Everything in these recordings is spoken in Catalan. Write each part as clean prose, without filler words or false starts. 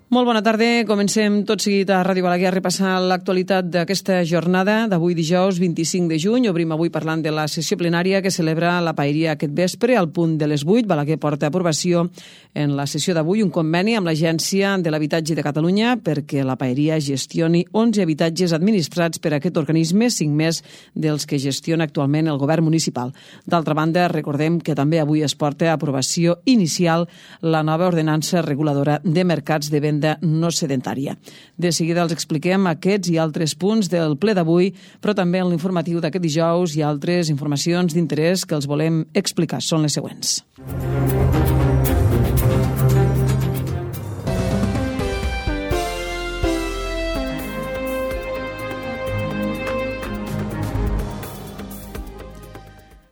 Molt bona tarda. Comencem tot seguit a Ràdio Balaguer a repassar l'actualitat d'aquesta jornada d'avui dijous 25 de juny. Obrim avui parlant de la sessió plenària que celebra la Paeria aquest vespre al punt de les 8. Balaguer porta a aprovació en la sessió d'avui un conveni amb l'Agència de l'Habitatge de Catalunya perquè la Paeria gestioni 11 habitatges administrats per aquest organisme, 5 més dels que gestiona actualment el govern municipal. D'altra banda, recordem que també avui es porta a aprovació inicial la nova ordenança reguladora de mercats de venda no sedentària. De seguida els expliquem aquests i altres punts del ple d'avui, però també en l'informatiu d'aquest dijous hi ha altres informacions d'interès que els volem explicar. Són les següents.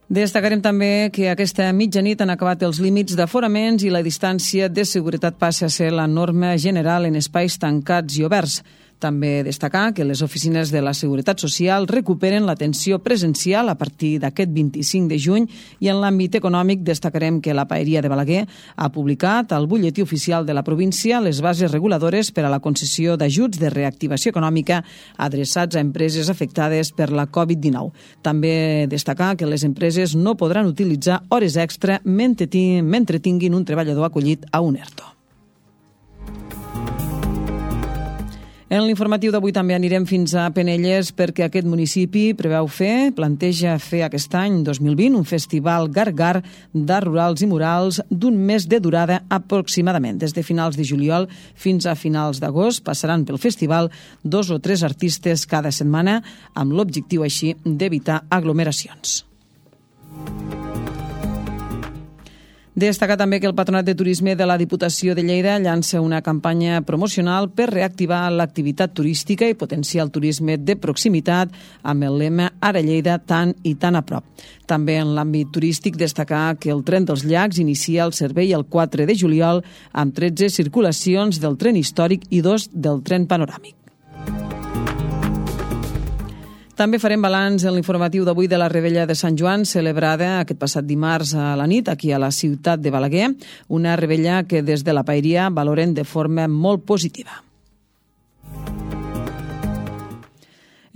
Destacarem també que aquesta mitjanit han acabat els límits d'aforaments i la distància de seguretat passa a ser la norma general en espais tancats i oberts. També destacar que les oficines de la Seguretat Social recuperen l'atenció presencial a partir d'aquest 25 de juny i en l'àmbit econòmic destacarem que la Paeria de Balaguer ha publicat al butlletí oficial de la província les bases reguladores per a la concessió d'ajuts de reactivació econòmica adreçats a empreses afectades per la Covid-19. També destacar que les empreses no podran utilitzar hores extra mentre tinguin un treballador acollit a un ERTO. En l'informatiu d'avui també anirem fins a Penelles perquè aquest municipi planteja fer aquest any 2020 un festival Gar-Gar d'art rurals i murals d'un mes de durada aproximadament. Des de finals de juliol fins a finals d'agost passaran pel festival 2 o 3 artistes cada setmana amb l'objectiu així d'evitar aglomeracions. Destacar també que el Patronat de Turisme de la Diputació de Lleida llança una campanya promocional per reactivar l'activitat turística i potenciar el turisme de proximitat amb el lema Ara Lleida, tant i tan a prop. També en l'àmbit turístic destacar que el Tren dels Llacs inicia el servei el 4 de juliol amb 13 circulacions del tren històric i 2 del tren panoràmic. També farem balanç en l'informatiu d'avui de la Revetlla de Sant Joan, celebrada aquest passat dimarts a la nit aquí a la ciutat de Balaguer, una revetlla que des de la Paeria valoren de forma molt positiva.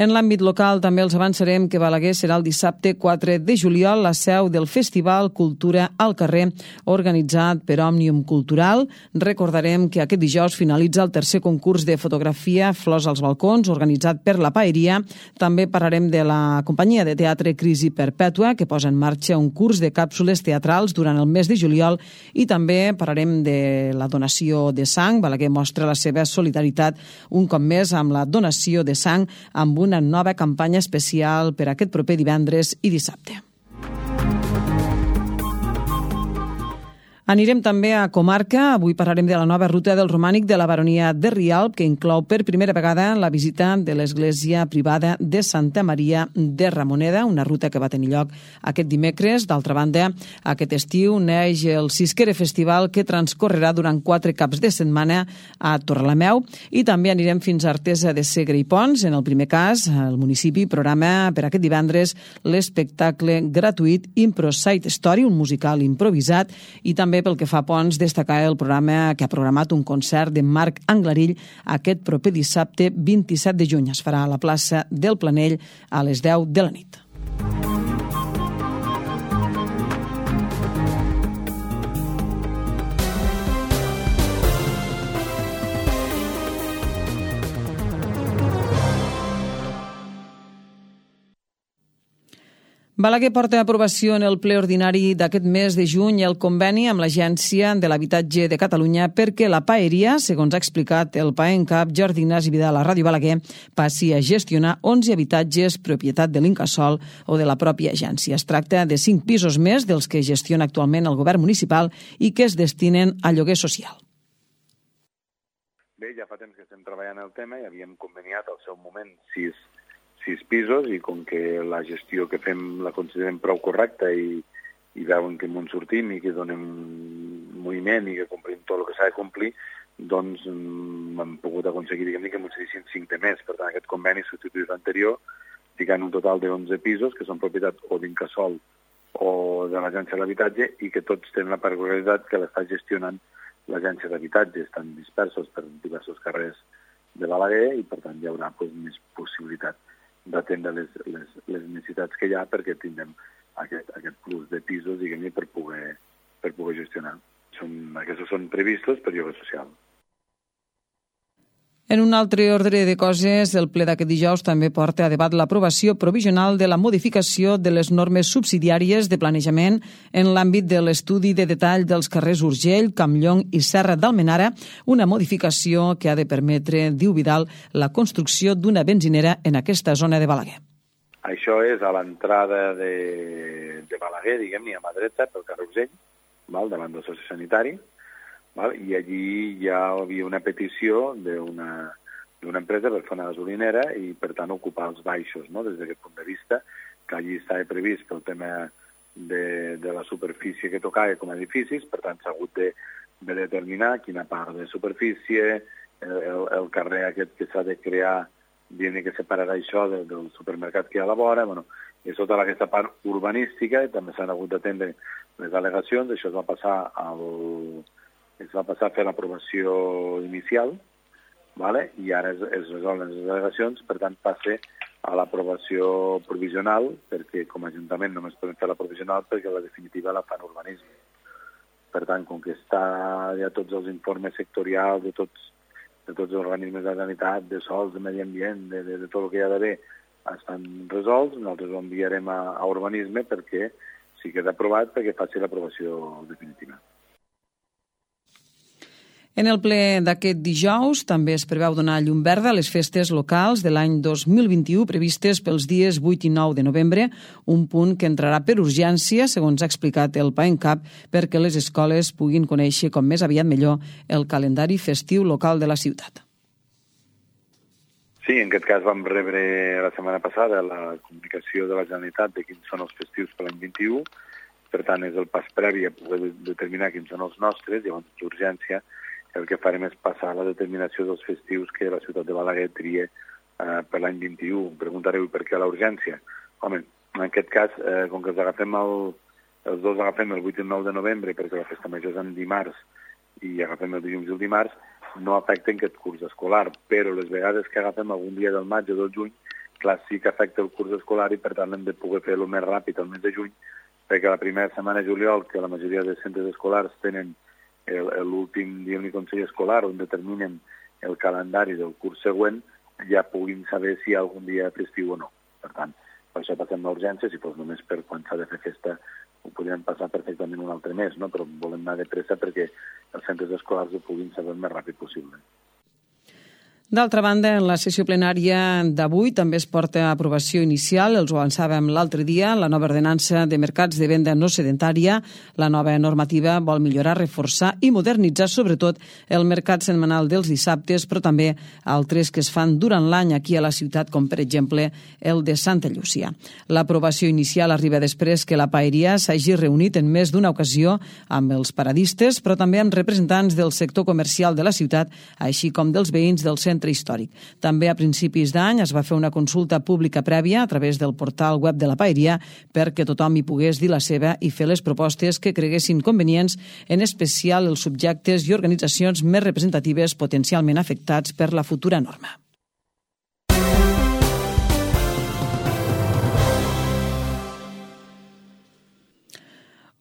En l'àmbit local també els avançarem que Balaguer serà el dissabte 4 de juliol la seu del Festival Cultura al Carrer, organitzat per Òmnium Cultural. Recordarem que aquest dijous finalitza el tercer concurs de fotografia Flors als balcons, organitzat per la Paeria. També parlarem de la companyia de teatre Crisi Perpètua, que posa en marxa un curs de càpsules teatrals durant el mes de juliol, i també parlarem de la donació de sang. Balaguer mostra la seva solidaritat un cop més amb la donació de sang amb una nova campanya especial per aquest proper divendres i dissabte. Anirem també a Comarca. Avui parlarem de la nova ruta del romànic de la baronia de Rialb, que inclou per primera vegada la visita de l'església privada de Santa Maria de Ramoneda, una ruta que va tenir lloc aquest dimecres. D'altra banda, aquest estiu neix el Sisquere Festival, que transcorrerà durant 4 caps de setmana a Torrelameu, i també anirem fins a Artesa de Segre i Pons. En el primer cas, el municipi programa per aquest divendres l'espectacle gratuït Impro Side Story, un musical improvisat, i també pel que fa a Pons, destacar el programa que ha programat un concert de Marc Anglarill aquest proper dissabte 27 de juny. Es farà a la plaça del Planell a les 10 de la nit. Balaguer porta a aprovació en el ple ordinari d'aquest mes de juny el conveni amb l'Agència de l'Habitatge de Catalunya perquè la Paeria, segons ha explicat el PAENCAP Jordi Ignasi Vidal a Ràdio Balaguer, passi a gestionar 11 habitatges propietat de l'Incasòl o de la pròpia agència. Es tracta de 5 pisos més dels que gestiona actualment el govern municipal i que es destinen a lloguer social. Bé, ja fa temps que estem treballant el tema i havíem conveniat al seu moment 6 pisos, i com que la gestió que fem la considerem prou correcta i veuen que ens sortim i que donem moviment i que complim tot el que s'ha de complir, doncs hem pogut aconseguir que ens cedissin 5 de més. Per tant, aquest conveni substitueix l'anterior, ficant un total de 11 pisos que són propietat o d'Incasòl o de l'Agència de l'Habitatge i que tots tenen la particularitat que l'està gestionant l'agència d'habitatge estan dispersos per diversos carrers de Balaguer i, per tant, hi haurà més possibilitat d'atendre les necessitats que hi ha perquè tindrem aquest plus de pisos, diguem-ne, per poder gestionar. Aquests són previstos per lloguer social. En un altre ordre de coses, el ple d'aquest dijous també porta a debat l'aprovació provisional de la modificació de les normes subsidiàries de planejament en l'àmbit de l'estudi de detall dels carrers Urgell, Campllong i Serra d'Almenara, una modificació que ha de permetre, diu Vidal, la construcció d'una benzinera en aquesta zona de Balaguer. Això és a l'entrada de Balaguer, diguem-ne, a mà dreta, pel carrer Urgell, davant del sociosanitari, i allí ja hi havia una petició d'una empresa per fer una gasolinera i, per tant, ocupar els baixos, des d'aquest punt de vista, que allí estava previst pel tema de la superfície que tocava com a edificis, per tant, s'ha hagut de determinar quina part de superfície, el carrer aquest que s'ha de crear, dient que separarà això del supermercat que hi ha a la vora, i tota aquesta part urbanística, també s'han hagut d'atendre les al·legacions, això es va passar a fer l'aprovació inicial, i ara es resolen les al·legacions, per tant passa a l'aprovació provisional, perquè com a Ajuntament només podem fer la provisional perquè la definitiva la fan urbanisme. Per tant, com que està ja tots els informes sectorials de tots els organismes de sanitat, de sols, de medi ambient, de tot el que hi ha d'haver, estan resolts, nosaltres ho enviarem a urbanisme perquè sí que queda aprovat perquè faci l'aprovació definitiva. En el ple d'aquest dijous també es preveu donar llum verda a les festes locals de l'any 2021 previstes pels dies 8 i 9 de novembre, un punt que entrarà per urgència, segons ha explicat el PAENCAP, perquè les escoles puguin conèixer com més aviat millor el calendari festiu local de la ciutat. Sí, en aquest cas vam rebre la setmana passada la comunicació de la Generalitat de quins són els festius per l'any 21, per tant és el pas previ a poder determinar quins són els nostres, llavors d'urgència el que farem és passar la determinació dels festius que la ciutat de Balaguer tria per l'any 21. Em preguntareu per què la urgència? Home, en aquest cas, com que els dos agafem el 8 i el 9 de novembre, perquè la festa major és en dimarts i agafem el dilluns i el dimarts, no afecten aquest curs escolar, però les vegades que agafem algun dia del maig o del juny, clar, sí que afecta el curs escolar i per tant hem de poder fer-lo més ràpid el mes de juny, perquè la primera setmana de juliol, que la majoria de centres escolars tenen l'últim dia del Consell Escolar on determinen el calendari del curs següent, ja puguin saber si hi ha algun dia festiu o no. Per tant, per això passem l'urgència, si fos només per quan s'ha de fer festa ho podríem passar perfectament un altre mes, però volem anar de pressa perquè els centres escolars ho puguin saber el més ràpid possible. D'altra banda, en la sessió plenària d'avui també es porta a aprovació inicial, els ho avançàvem l'altre dia, la nova ordenança de mercats de venda no sedentària. La nova normativa vol millorar, reforçar i modernitzar sobretot el mercat setmanal dels dissabtes, però també altres que es fan durant l'any aquí a la ciutat, com per exemple el de Santa Llúcia. L'aprovació inicial arriba després que la paeria s'hagi reunit en més d'una ocasió amb els paradistes, però també amb representants del sector comercial de la ciutat, així com dels veïns del centre històric. També a principis d'any es va fer una consulta pública prèvia a través del portal web de la paeria perquè tothom hi pogués dir la seva i fer les propostes que creguessin convenients, en especial els subjectes i organitzacions més representatives potencialment afectats per la futura norma.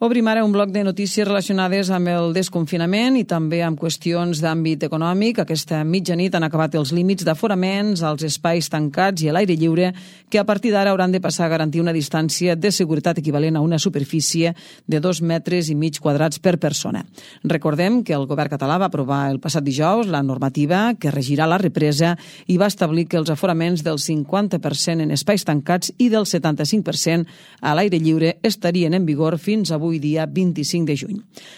Obrim ara un bloc de notícies relacionades amb el desconfinament i també amb qüestions d'àmbit econòmic. Aquesta mitjanit han acabat els límits d'aforaments als espais tancats i a l'aire lliure que a partir d'ara hauran de passar a garantir una distància de seguretat equivalent a una superfície de 2,5 metres quadrats per persona. Recordem que el govern català va aprovar el passat dijous la normativa que regirà la represa i va establir que els aforaments del 50% en espais tancats i del 75% a l'aire lliure estarien en vigor fins avui dia 25 de juny.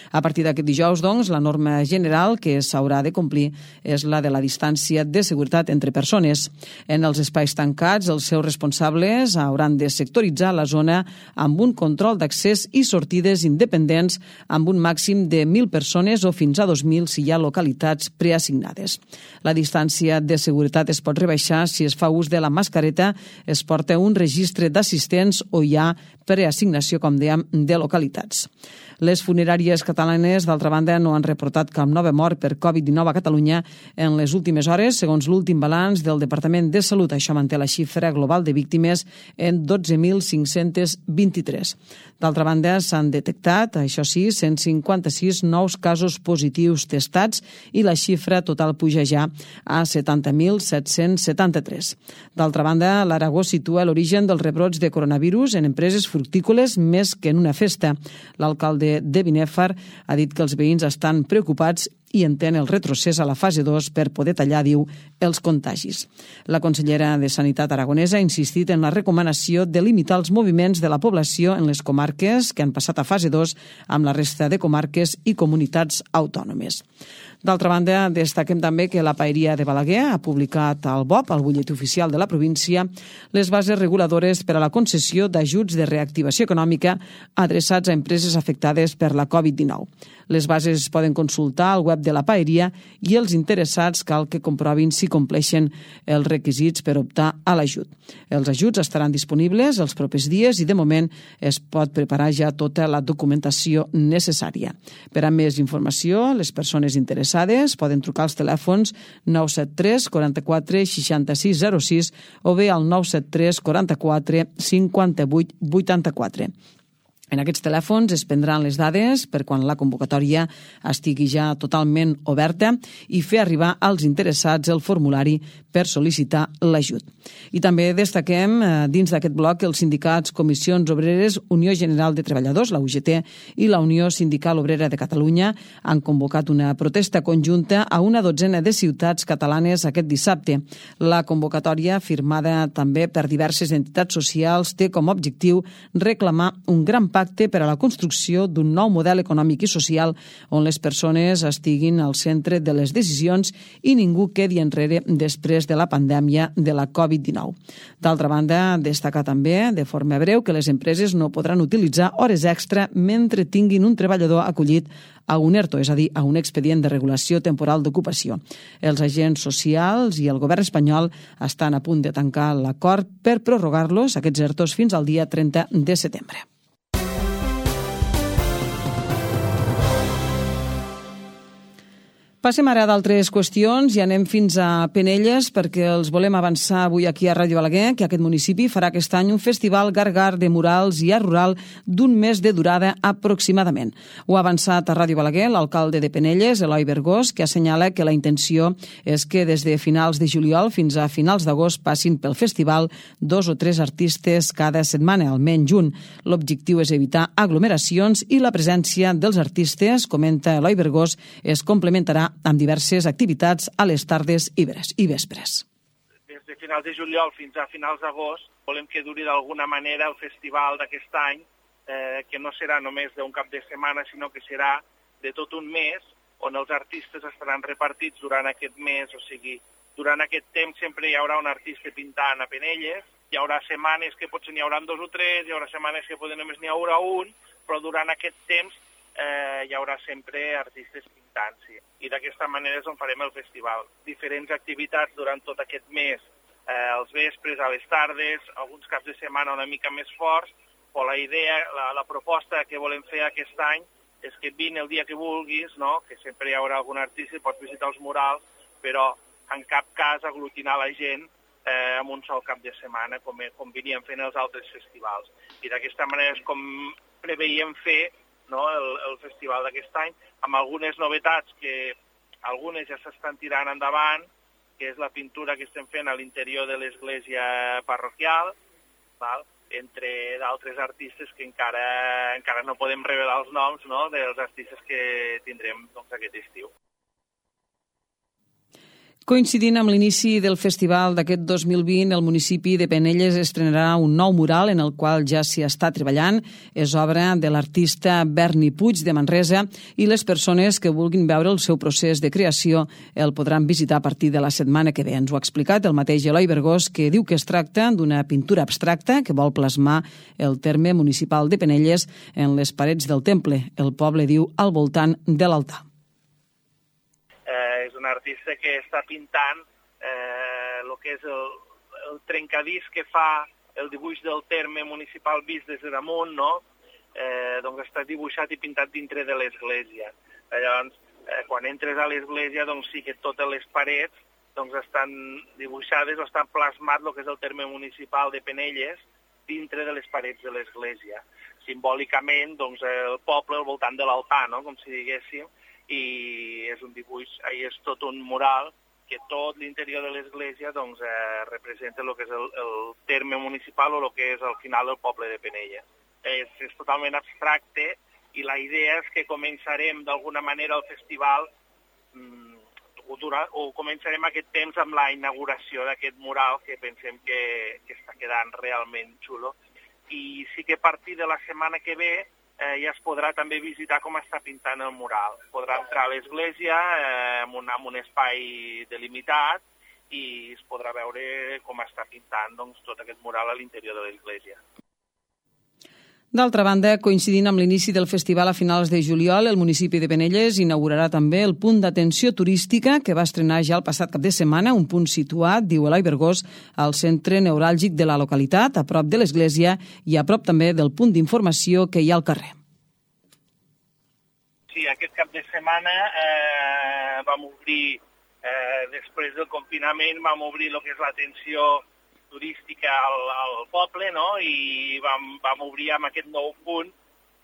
A partir d'aquest dijous, doncs, la norma general que s'haurà de complir és la de la distància de seguretat entre persones. En els espais tancats, els seus responsables hauran de sectoritzar la zona amb un control d'accés i sortides independents amb un màxim de 1.000 persones o fins a 2.000 si hi ha localitats preassignades. La distància de seguretat es pot rebaixar si es fa ús de la mascareta, es porta un registre d'assistents o hi ha preassignació, com dèiem, de localitats. Les funeràries catalanes, d'altra banda, no han reportat cap nova mort per Covid-19 a Catalunya en les últimes hores, segons l'últim balanç del Departament de Salut. Això manté la xifra global de víctimes en 12.523. D'altra banda, s'han detectat, això sí, 156 nous casos positius testats i la xifra total puja ja a 70.773. D'altra banda, l'Aragó situa l'origen dels rebrots de coronavirus en empreses fructícoles més que en una festa. L'alcalde de Binèfar ha dit que els veïns estan preocupats i entén el retrocés a la fase 2 per poder tallar, diu, els contagis. La consellera de Sanitat aragonesa ha insistit en la recomanació de limitar els moviments de la població en les comarques que han passat a fase 2 amb la resta de comarques i comunitats autònomes. D'altra banda, destaquem també que la Paeria de Balaguer ha publicat al BOP, al butlletí oficial de la província, les bases reguladores per a la concessió d'ajuts de reactivació econòmica adreçats a empreses afectades per la Covid-19. Les bases es poden consultar al web de la Paeria i els interessats cal que comprovin si compleixen els requisits per optar a l'ajut. Els ajuts estaran disponibles els propers dies i de moment es pot preparar ja tota la documentació necessària. Per a més informació, les persones interessades poden trucar als telèfons 973 44 66 06 o bé al 973 44 58 84. En aquests telèfons es prendran les dades per quan la convocatòria estigui ja totalment oberta i fer arribar als interessats el formulari per sol·licitar l'ajut. I també destaquem dins d'aquest bloc els sindicats Comissions Obreres, Unió General de Treballadors, la UGT, i la Unió Sindical Obrera de Catalunya han convocat una protesta conjunta a una dotzena de ciutats catalanes aquest dissabte. La convocatòria, firmada també per diverses entitats socials, té com a objectiu reclamar un gran pacte per a la construcció d'un nou model econòmic i social on les persones estiguin al centre de les decisions i ningú quedi enrere després de la pandèmia de la Covid-19. D'altra banda, destacar també de forma breu que les empreses no podran utilitzar hores extra mentre tinguin un treballador acollit a un ERTO, és a dir, a un expedient de regulació temporal d'ocupació. Els agents socials i el govern espanyol estan a punt de tancar l'acord per prorrogar-los, aquests ERTOs, fins al dia 30 de setembre. Passem ara d'altres qüestions i anem fins a Penelles perquè els volem avançar avui aquí a Ràdio Balaguer que aquest municipi farà aquest any un festival gargar de murals i art rural d'un mes de durada aproximadament. Ho ha avançat a Ràdio Balaguer l'alcalde de Penelles, Eloi Bergós, que assenyala que la intenció és que des de finals de juliol fins a finals d'agost passin pel festival 2 o 3 artistes cada setmana, almenys un. L'objectiu és evitar aglomeracions i la presència dels artistes, comenta Eloi Bergós, es complementarà amb diverses activitats a les tardes i vespres. Des de finals de juliol fins a finals d'agost volem que duri d'alguna manera el festival d'aquest any, que no serà només d'un cap de setmana, sinó que serà de tot un mes, on els artistes estaran repartits durant aquest mes, o sigui, durant aquest temps sempre hi haurà un artista pintant a Penelles, hi haurà setmanes que potser n'hi haurà 2 o 3, hi haurà setmanes que potser només n'hi haurà un, però durant aquest temps hi haurà sempre artistes pintant, sí. I d'aquesta manera és on farem el festival. Diferents activitats durant tot aquest mes, als vespres, a les tardes, alguns caps de setmana una mica més forts, però la idea, la proposta que volem fer aquest any és que vine el dia que vulguis, no? Que sempre hi haurà algun artista, pots visitar els murals, però en cap cas aglutinar la gent en un sol cap de setmana, com veníem fent els altres festivals. I d'aquesta manera és com preveiem fer, no, el festival d'aquest any, amb algunes novetats que algunes ja s'estan tirant endavant, que és la pintura que estem fent a l'interior de l'església parroquial, val? Entre d'altres artistes que encara no podem revelar els noms, no, dels artistes que tindrem aquest estiu. Coincidint amb l'inici del festival d'aquest 2020, el municipi de Penelles estrenarà un nou mural en el qual ja s'hi està treballant. És obra de l'artista Berni Puig de Manresa i les persones que vulguin veure el seu procés de creació el podran visitar a partir de la setmana que ve. Ens ho ha explicat el mateix Eloi Bergós, que diu que es tracta d'una pintura abstracta que vol plasmar el terme municipal de Penelles en les parets del temple, el poble diu al voltant de l'altar. És un artista que està pintant el que és el trencadís que fa el dibuix del terme municipal vist des de damunt, no? doncs està dibuixat i pintat dintre de l'església. Llavors, quan entres a l'església, doncs sí que totes les parets doncs estan dibuixades o estan plasmat el que és el terme municipal de Penelles dintre de les parets de l'església. Simbòlicament, doncs, el poble al voltant de l'altar, no?, com si diguéssim, i és un dibuix, és tot un mural que tot l'interior de l'església doncs, representa el que és el terme municipal o el que és al final el poble de Penelles. És totalment abstracte i la idea és que començarem d'alguna manera el festival o començarem aquest temps amb la inauguració d'aquest mural que pensem que està quedant realment xulo. I sí que a partir de la setmana que ve ja es podrà també visitar com està pintant el mural. Podrà entrar a l'església amb un espai delimitat i es podrà veure com està pintant doncs, tot aquest mural a l'interior de l'església. D'altra banda, coincidint amb l'inici del festival a finals de juliol, el municipi de Penelles inaugurarà també el punt d'atenció turística que va estrenar ja el passat cap de setmana, un punt situat, diu Eloi Bergós, al centre neuràlgic de la localitat, a prop de l'església i a prop també del punt d'informació que hi ha al carrer. Sí, aquest cap de setmana vam obrir, després del confinament, vam obrir el que és l'atenció turística al poble, no? I vam obrir amb aquest nou punt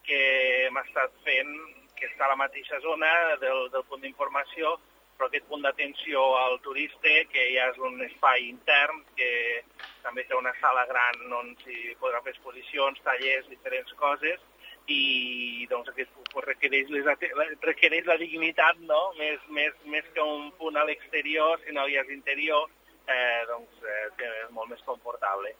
que hem estat fent, que està a la mateixa zona del punt d'informació, però aquest punt d'atenció al turista, que ja és un espai intern, que també té una sala gran on s'hi podran fer exposicions, tallers, diferents coses, i doncs aquest punt requereix la dignitat, no? Més que un punt a l'exterior, sinó ja és interior, doncs és molt més confortable.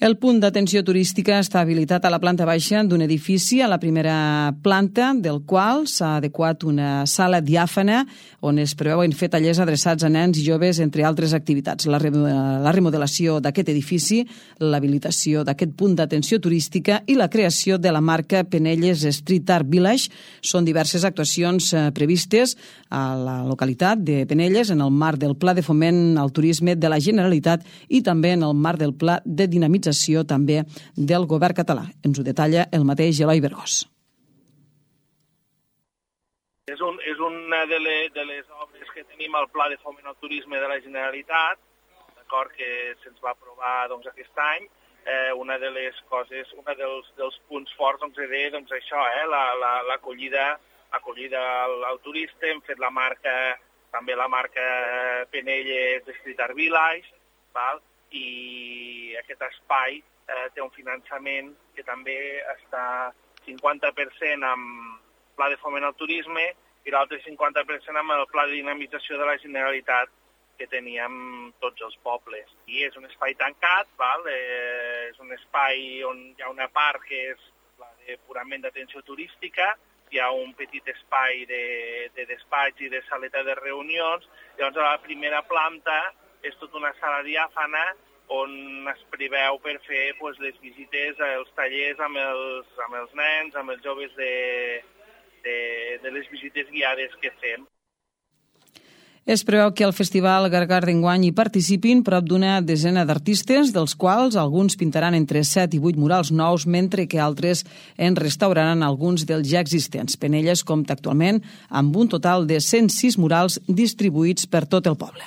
El punt d'atenció turística està habilitat a la planta baixa d'un edifici a la primera planta, del qual s'ha adequat una sala diàfana on es preveuen fer tallers adreçats a nens i joves, entre altres activitats. La remodelació d'aquest edifici, l'habilitació d'aquest punt d'atenció turística i la creació de la marca Penelles Street Art Village són diverses actuacions previstes a la localitat de Penelles en el marc del Pla de Foment al Turisme de la Generalitat i també en el marc del Pla de Dinamització també del govern català. Ens ho detalla el mateix Eloi Bergós. És una de les obres que tenim al Pla de Foment al Turisme de la Generalitat, d'acord, que se'ns va aprovar doncs, aquest any. Una de les coses, dels punts forts doncs, era doncs, això, l'acollida al turista. Hem fet també la marca Penelles Street Art Village, val? I aquest espai té un finançament que també està 50% amb Pla de Foment al Turisme i l'altre 50% amb el Pla de Dinamització de la Generalitat que teníem tots els pobles. I és un espai tancat, val? És un espai on hi ha una part que és la de purament d'atenció turística, hi ha un petit espai de despatx i de saleta de reunions. Llavors a la primera planta és tota una sala diàfana on es preveu per fer les visites, els tallers amb els nens, amb els joves de les visites guiades que fem. Es preveu que al Festival Gargar d'enguany hi participin prop d'una desena d'artistes, dels quals alguns pintaran entre 7 i 8 murals nous, mentre que altres en restauraran alguns dels ja existents. Penelles compta actualment amb un total de 106 murals distribuïts per tot el poble.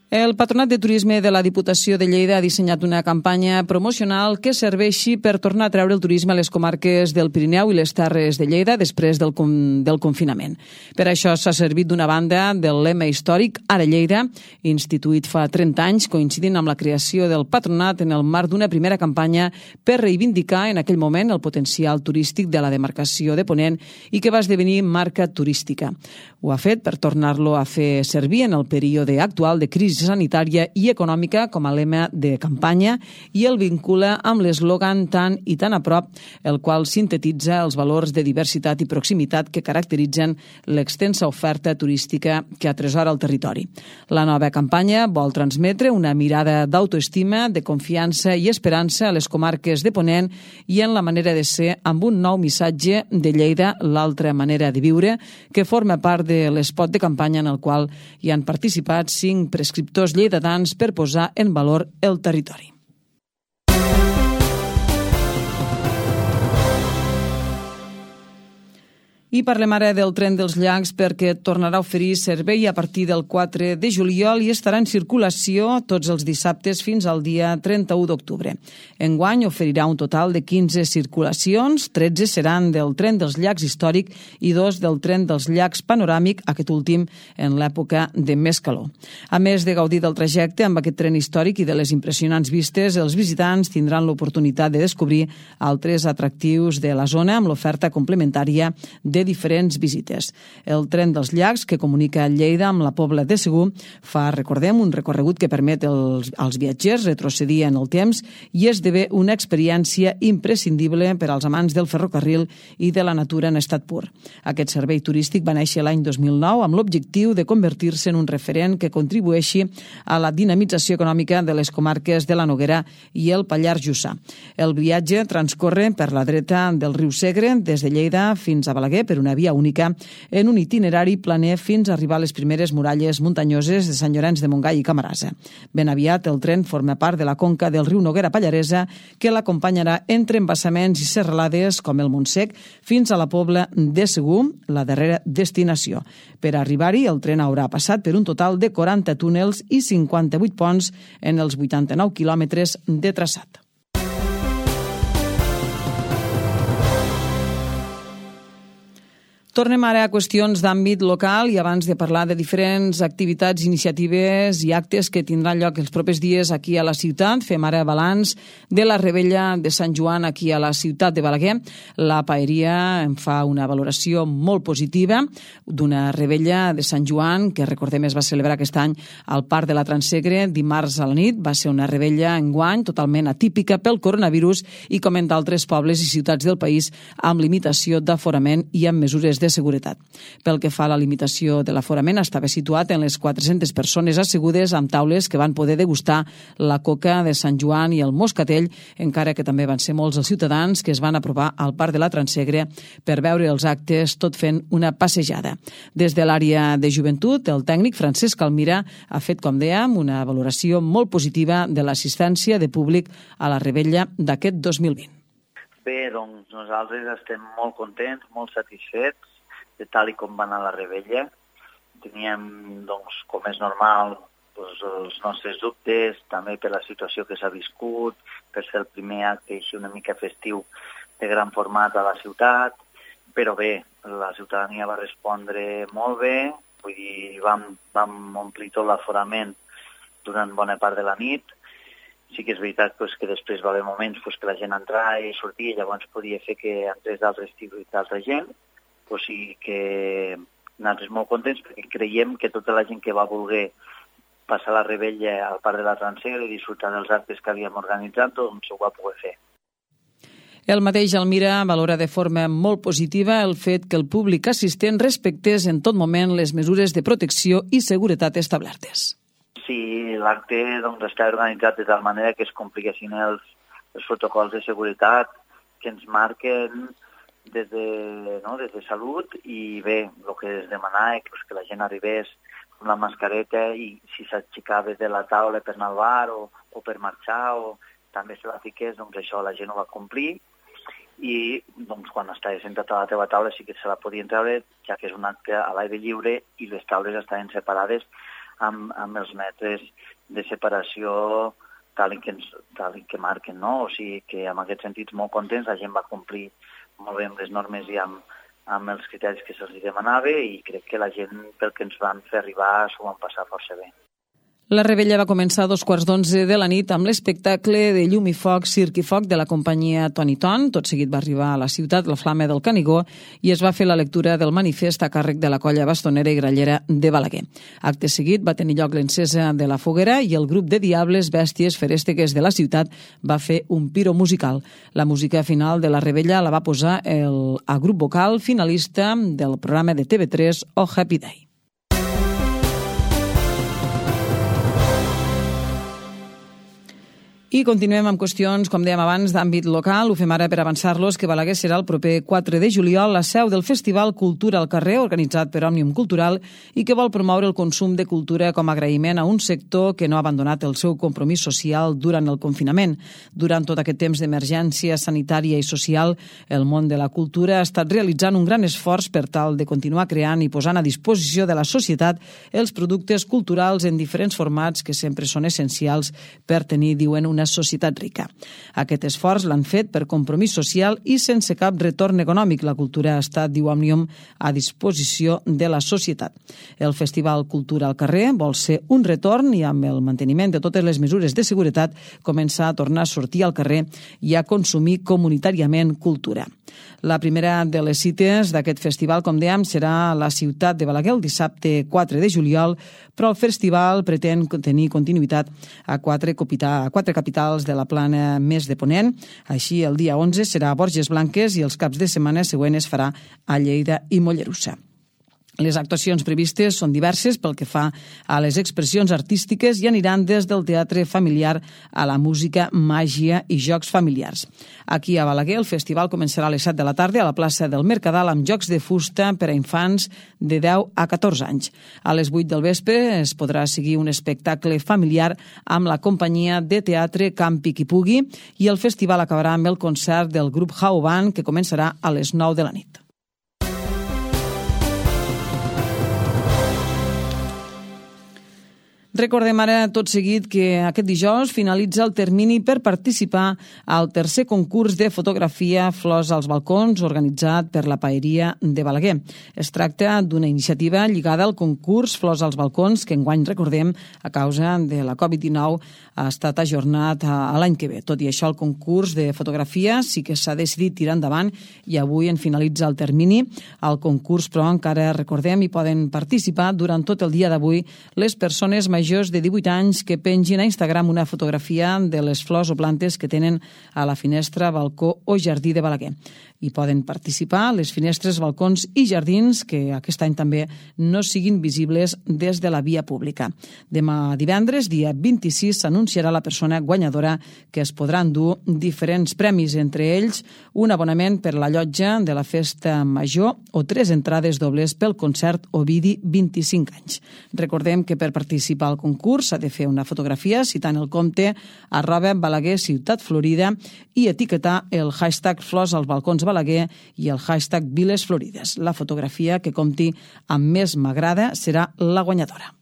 El Patronat de Turisme de la Diputació de Lleida ha dissenyat una campanya promocional que serveixi per tornar a treure el turisme a les comarques del Pirineu i les Terres de Lleida després del confinament. Per això s'ha servit d'una banda del lema històric Ara Lleida, instituït fa 30 anys, coincidint amb la creació del Patronat en el marc d'una primera campanya per reivindicar en aquell moment el potencial turístic de la demarcació de Ponent i que va esdevenir marca turística. Ho ha fet per tornar-lo a fer servir en el període actual de crisi sanitària i econòmica com a lema de campanya i el vincula amb l'eslògan Tan i tan a prop, el qual sintetitza els valors de diversitat i proximitat que caracteritzen l'extensa oferta turística que atresora el territori. La nova campanya vol transmetre una mirada d'autoestima, de confiança i esperança a les comarques de Ponent i en la manera de ser amb un nou missatge de Lleida, l'altra manera de viure, que forma part de l'espot de campanya en el qual hi han participat 5 prescriptors lleidatans per posar en valor el territori. I parlem ara del tren dels llacs perquè tornarà a oferir servei a partir del 4 de juliol i estarà en circulació tots els dissabtes fins al dia 31 d'octubre. Enguany oferirà un total de 15 circulacions, 13 seran del tren dels llacs històric i 2 del tren dels llacs panoràmic, aquest últim en l'època de més calor. A més de gaudir del trajecte amb aquest tren històric i de les impressionants vistes, els visitants tindran l'oportunitat de descobrir altres atractius de la zona amb l'oferta complementària de diferents visites. El tren dels llacs, que comunica Lleida amb la Pobla de Segur, fa, recordem, un recorregut que permet als viatgers retrocedir en el temps i esdevé una experiència imprescindible per als amants del ferrocarril i de la natura en estat pur. Aquest servei turístic va néixer l'any 2009 amb l'objectiu de convertir-se en un referent que contribueixi a la dinamització econòmica de les comarques de la Noguera i el Pallars Jussà. El viatge transcorre per la dreta del riu Segre, des de Lleida fins a Balaguer, per una via única, en un itinerari planer fins a arribar a les primeres muralles muntanyoses de Sant Llorenç de Montgai i Camarasa. Ben aviat, el tren forma part de la conca del riu Noguera Pallaresa, que l'acompanyarà entre embassaments i serralades com el Montsec fins a la Pobla de Segur, la darrera destinació. Per arribar-hi, el tren haurà passat per un total de 40 túnels i 58 ponts en els 89 quilòmetres de traçat. Tornem ara a qüestions d'àmbit local i abans de parlar de diferents activitats, iniciatives i actes que tindran lloc els propers dies aquí a la ciutat, fem ara balanç de la Revetlla de Sant Joan aquí a la ciutat de Balaguer. La paeria en fa una valoració molt positiva d'una Revetlla de Sant Joan que, recordem, es va celebrar aquest any al Parc de la Transsegre dimarts a la nit. Va ser una Revetlla enguany totalment atípica pel coronavirus i, com en d'altres pobles i ciutats del país, amb limitació d'aforament i amb mesures de seguretat. Pel que fa a la limitació de l'aforament, estava situat en les 400 persones assegudes amb taules que van poder degustar la coca de Sant Joan i el moscatell, encara que també van ser molts els ciutadans que es van apropar al Parc de la Transsegre per veure els actes tot fent una passejada. Des de l'àrea de joventut, el tècnic Francesc Almira ha fet, com dèiem, una valoració molt positiva de l'assistència de públic a la Revetlla d'aquest 2020. Bé, doncs nosaltres estem molt contents, molt satisfets de tal i com va anar la Revetlla. Teníem, doncs, com és normal, doncs, els nostres dubtes, també per la situació que s'ha viscut, per ser el primer acte així una mica festiu de gran format a la ciutat, però bé, la ciutadania va respondre molt bé, vull dir, vam omplir tot l'aforament durant bona part de la nit. Sí que és veritat que després va haver moments que la gent entrava i sortia i llavors podia fer que entrés d'altra gent. O sigui que nosaltres molt contents perquè creiem que tota la gent que va voler passar la Revetlla al Parc de la Transsegre i disfrutar dels actes que havíem organitzat, doncs ho va poder fer. El mateix Almira valora de forma molt positiva el fet que el públic assistent respectés en tot moment les mesures de protecció i seguretat establertes. Sí, l'acte està organitzat de tal manera que es compliguessin els protocols de seguretat que ens marquen des de salut i bé, el que es demanava que la gent arribés amb la mascareta i si s'aixecava de la taula per anar al bar o per marxar o també se la fiqués, doncs això la gent ho va complir i doncs, quan estaves sentat a la teva taula sí que se la podien treure, ja que és un acte a l'aire lliure i les taules estaven separades amb els metres de separació tal i que marquen, no? O sigui que en aquest sentit molt contents, la gent va complir molt bé amb les normes i amb els criteris que se'ls demanava i crec que la gent, pel que ens van fer arribar, s'ho van passar força bé. La Revetlla va començar a 11:15 de la nit amb l'espectacle de llum i foc, circ i foc de la companyia Toni Ton. Tot seguit va arribar a la ciutat la Flama del Canigó i es va fer la lectura del manifest a càrrec de la colla bastonera i grallera de Balaguer. Acte seguit va tenir lloc l'encesa de la foguera i el grup de diables bèsties ferèstegues de la ciutat va fer un piro musical. La música final de la Revetlla la va posar el grup vocal finalista del programa de TV3 Oh Happy Day. I continuem amb qüestions, com dèiem abans, d'àmbit local. Ho fem ara per avançar-los que Balaguer serà el proper 4 de juliol la seu del Festival Cultura al Carrer, organitzat per Òmnium Cultural, i que vol promoure el consum de cultura com a agraïment a un sector que no ha abandonat el seu compromís social durant el confinament. Durant tot aquest temps d'emergència sanitària i social, el món de la cultura ha estat realitzant un gran esforç per tal de continuar creant i posant a disposició de la societat els productes culturals en diferents formats que sempre són essencials per tenir, diuen, una societat rica. Aquest esforç l'han fet per compromís social i sense cap retorn econòmic. La cultura ha estat, diu Òmnium, a disposició de la societat. El Festival Cultura al Carrer vol ser un retorn i amb el manteniment de totes les mesures de seguretat començar a tornar a sortir al carrer i a consumir comunitàriament cultura. La primera de les cites d'aquest festival, com dèiem, serà a la ciutat de Balaguer el dissabte 4 de juliol, però el festival pretén tenir continuïtat a quatre capitals de la plana més de Ponent. Així, el dia 11 serà a Borges Blanques i els caps de setmana següent es farà a Lleida i Mollerussa. Les actuacions previstes són diverses pel que fa a les expressions artístiques i aniran des del teatre familiar a la música, màgia i jocs familiars. Aquí a Balaguer el festival començarà a les 7 de la tarda a la plaça del Mercadal amb jocs de fusta per a infants de 10 a 14 anys. A les 8 del vespre es podrà seguir un espectacle familiar amb la companyia de teatre Campi qui pugui i el festival acabarà amb el concert del grup How Band que començarà a les 9 de la nit. Recordem ara tot seguit que aquest dijous finalitza el termini per participar al tercer concurs de fotografia Flors als balcons organitzat per la Paeria de Balaguer. Es tracta d'una iniciativa lligada al concurs Flors als balcons que enguany, recordem, a causa de la Covid-19 ha estat ajornat a l'any que ve. Tot i això, el concurs de fotografia sí que s'ha decidit tirar endavant i avui en finalitza el termini. Al concurs, però, encara recordem, hi poden participar durant tot el dia d'avui les persones majors de 18 anys que pengin a Instagram una fotografia de les flors o plantes que tenen a la finestra, balcó o jardí de Balaguer. Hi poden participar les finestres, balcons i jardins que aquest any també no siguin visibles des de la via pública. Demà divendres, dia 26, s'anunciarà la persona guanyadora que es podran dur diferents premis, entre ells un abonament per la llotja de la festa major o 3 entrades dobles pel concert Ovidi 25 anys. Recordem que per participar al concurs s'ha de fer una fotografia citant el compte @Balaguer Ciutat Florida i etiquetar el hashtag Flors als balcons Balaguer i el hashtag Viles Florides. La fotografia que compti amb més m'agrada serà la guanyadora.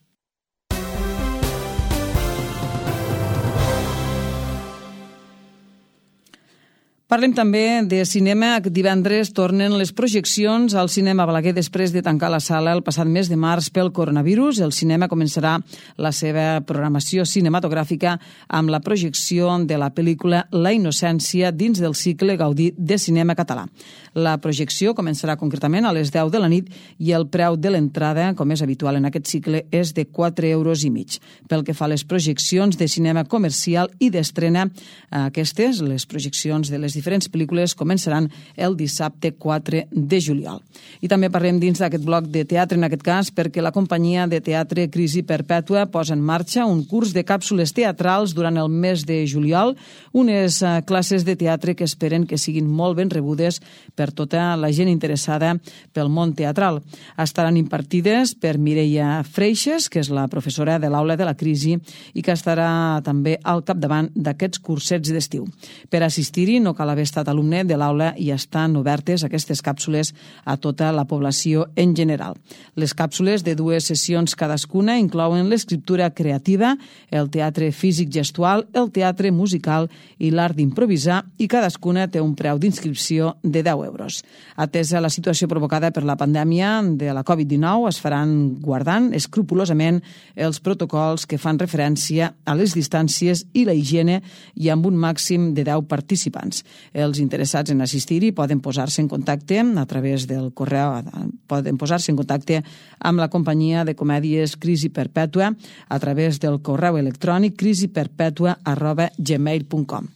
Parlem també de cinema. Divendres tornen les projeccions al cinema Balaguer després de tancar la sala el passat mes de març pel coronavirus. El cinema començarà la seva programació cinematogràfica amb la projecció de la pel·lícula La innocència dins del cicle Gaudí de cinema català. La projecció començarà concretament a les 10 de la nit i el preu de l'entrada, com és habitual en aquest cicle, és de 4,5 €. Pel que fa a les projeccions de cinema comercial i d'estrena, aquestes, les projeccions de les diferents pel·lícules, començaran el dissabte 4 de juliol. I també parlem dins d'aquest bloc de teatre, en aquest cas, perquè la companyia de teatre Crisi Perpètua posa en marxa un curs de càpsules teatrals durant el mes de juliol, unes classes de teatre que esperen que siguin molt ben rebudes per tota la gent interessada pel món teatral. Estaran impartides per Mireia Freixes, que és la professora de l'aula de la Crisi i que estarà també al capdavant d'aquests cursets d'estiu. Per assistir-hi no cal haver estat alumne de l'aula i estan obertes aquestes càpsules a tota la població en general. Les càpsules de 2 sessions cadascuna inclouen l'escriptura creativa, el teatre físic gestual, el teatre musical i l'art d'improvisar i cadascuna té un preu d'inscripció de 10 €. Atesa la situació provocada per la pandèmia de la Covid-19, es faran guardant escrupolosament els protocols que fan referència a les distàncies i la higiene i amb un màxim de 10 participants. Els interessats en assistir-hi poden posar-se en contacte a través del correu, poden posar-se en contacte amb la companyia de comèdies Crisi Perpètua a través del correu electrònic crisiperpètua@gmail.com.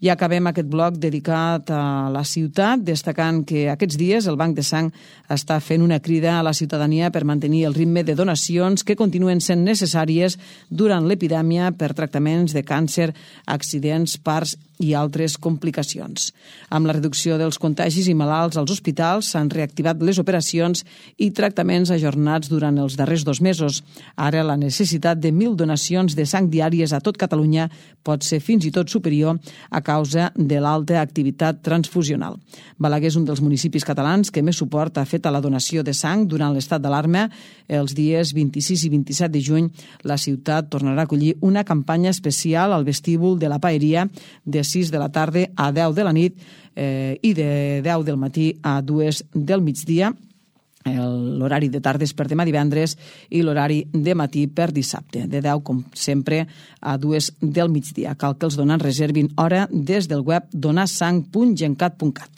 I acabem aquest bloc dedicat a la ciutat, destacant que aquests dies el Banc de Sang està fent una crida a la ciutadania per mantenir el ritme de donacions que continuen sent necessàries durant l'epidèmia per tractaments de càncer, accidents, parts i altres complicacions. Amb la reducció dels contagis i malalts als hospitals s'han reactivat les operacions i tractaments ajornats durant els darrers 2 mesos. Ara la necessitat de 1.000 donacions de sang diàries a tot Catalunya pot ser fins i tot superior a causa de l'alta activitat transfusional. Balaguer és un dels municipis catalans que més suport ha fet a la donació de sang durant l'estat d'alarma. Els dies 26 i 27 de juny la ciutat tornarà a acollir una campanya especial al vestíbul de la Paeria de 6 de la tarda a 10 de la nit i de 10 del matí a 2 del migdia. L'horari de tarda és per demà divendres i l'horari de matí per dissabte, de 10, com sempre, a 2 del migdia. Cal que els donants reservin hora des del web donarsang.gencat.cat.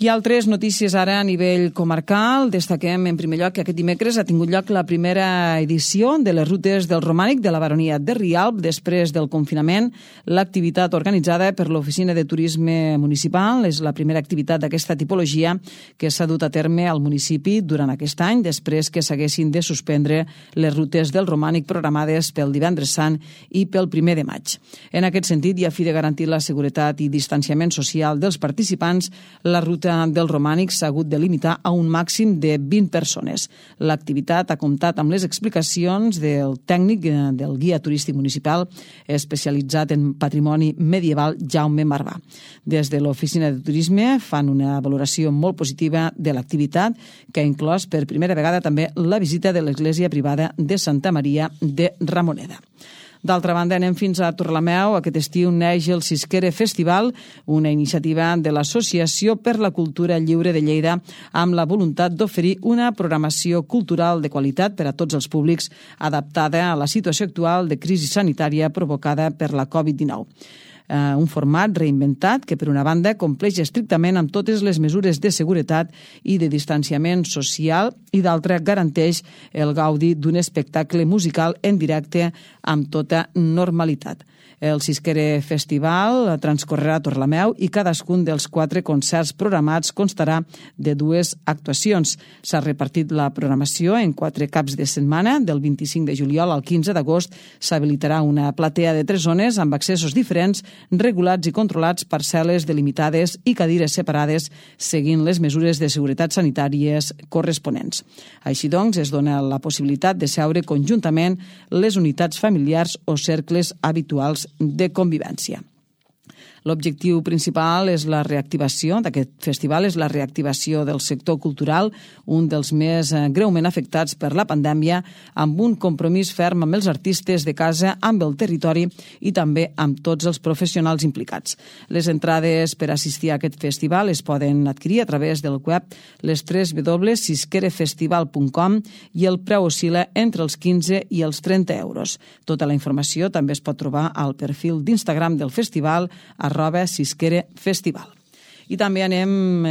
I altres notícies ara a nivell comarcal. Destaquem en primer lloc que aquest dimecres ha tingut lloc la primera edició de les rutes del Romànic de la Baronia de Rialb. Després del confinament, l'activitat organitzada per l'Oficina de Turisme Municipal és la primera activitat d'aquesta tipologia que s'ha dut a terme al municipi durant aquest any, després que s'haguessin de suspendre les rutes del Romànic programades pel Divendres Sant i pel 1 de maig. En aquest sentit, i a fi de garantir la seguretat i distanciament social dels participants, la ruta del Romànic s'ha hagut de limitar a un màxim de 20 persones. L'activitat ha comptat amb les explicacions del tècnic del guia turístic municipal especialitzat en patrimoni medieval Jaume Marvà. Des de l'Oficina de Turisme fan una valoració molt positiva de l'activitat, que ha inclòs per primera vegada també la visita de l'església privada de Santa Maria de Ramoneda. D'altra banda, anem fins a Torrelameu. Aquest estiu neix el Sisquere Festival, una iniciativa de l'Associació per la Cultura Lliure de Lleida amb la voluntat d'oferir una programació cultural de qualitat per a tots els públics adaptada a la situació actual de crisi sanitària provocada per la Covid-19. Un format reinventat que, per una banda, compleix estrictament amb totes les mesures de seguretat i de distanciament social i, d'altra, garanteix el gaudi d'un espectacle musical en directe amb tota normalitat. El Sisquere Festival transcorrerà a Torrelameu i cadascun dels 4 concerts programats constarà de 2 actuacions. S'ha repartit la programació en 4 caps de setmana. Del 25 de juliol al 15 d'agost s'habilitarà una platea de 3 zones amb accessos diferents, regulats i controlats per cel·les delimitades i cadires separades seguint les mesures de seguretat sanitàries corresponents. Així doncs, es dona la possibilitat de seure conjuntament les unitats familiars o cercles habituals de convivència. L'objectiu principal és la reactivació d'aquest festival, és la reactivació del sector cultural, un dels més greument afectats per la pandèmia, amb un compromís ferm amb els artistes de casa, amb el territori i també amb tots els professionals implicats. Les entrades per assistir a aquest festival es poden adquirir a través del web les www.sisquerefestival.com i el preu oscil·la entre els 15 i els 30 euros. Tota la informació també es pot trobar al perfil d'Instagram del festival @Sisquere Festival. I també anem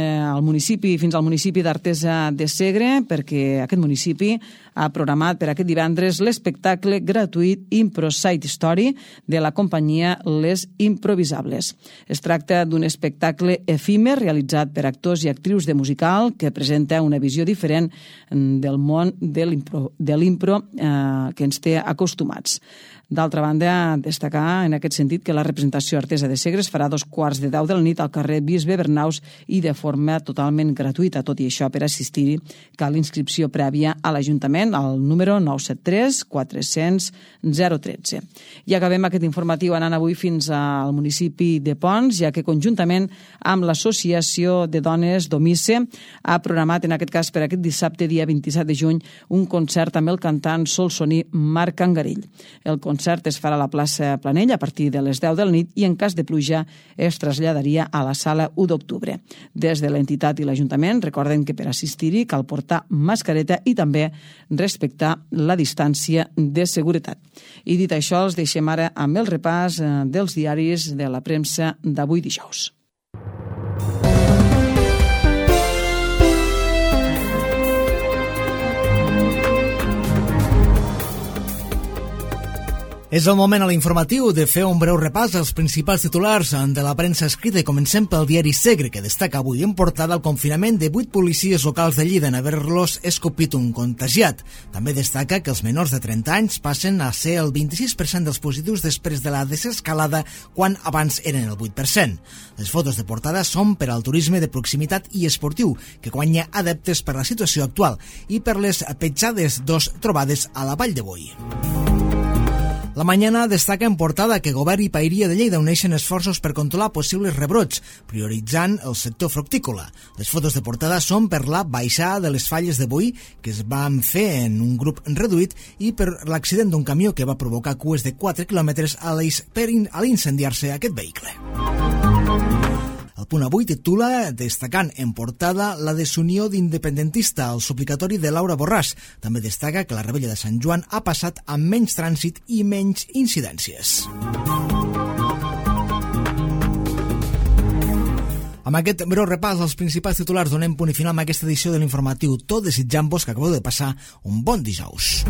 fins al municipi d'Artesa de Segre, perquè aquest municipi ha programat per aquest divendres l'espectacle gratuït Impro Side Story de la companyia Les Improvisables. Es tracta d'un espectacle efímer realitzat per actors i actrius de musical que presenta una visió diferent del món de l'impro que ens té acostumats. D'altra banda, destacar en aquest sentit que la representació Artesa de Segre es farà a 2:15 de la nit al carrer Bisbe Bernaus i de forma totalment gratuïta. Tot i això, per assistir-hi cal inscripció prèvia a l'Ajuntament al número 973 400 013. I acabem aquest informatiu anant avui fins al municipi de Ponts, ja que conjuntament amb l'Associació de Dones Domice ha programat, en aquest cas per aquest dissabte, dia 27 de juny, un concert amb el cantant solsoní Marc Angarell. El concert es farà a la plaça Planell a partir de les 10 de la nit i en cas de pluja es traslladaria a la sala U2. d'octubre. Des de l'entitat i l'Ajuntament recorden que per assistir-hi cal portar mascareta i també respectar la distància de seguretat. I dit això, els deixem ara amb el repàs dels diaris de la premsa d'avui dijous. És el moment a l'informatiu de fer un breu repàs als principals titulars de la premsa escrita i comencem pel diari Segre, que destaca avui en portada el confinament de 8 policies locals de Lleida en haver-los escopit un contagiat. També destaca que els menors de 30 anys passen a ser el 26% dels positius després de la desescalada quan abans eren el 8%. Les fotos de portada són per al turisme de proximitat i esportiu, que guanya adeptes per la situació actual i per les petjades trobades a la Vall de Boi. La Mañana destaca en portada que Govern i Paeria de Lleida uneixen esforços per controlar possibles rebrots, prioritzant el sector fructícola. Les fotos de portada són per la baixada de les falles de boí que es van fer en un grup reduït i per l'accident d'un camió que va provocar cues de 4 quilòmetres a l'eix per l'incendiar-se aquest vehicle. El Punt Avui titula, destacant en portada, la desunió d'independentista al suplicatori de Laura Borràs. També destaca que la Rebella de Sant Joan ha passat amb menys trànsit i menys incidències. Amb aquest breu repàs als principals titulars donem punt i final amb aquesta edició de l'informatiu Tot, desitjant-vos que acabeu de passar un bon dijous.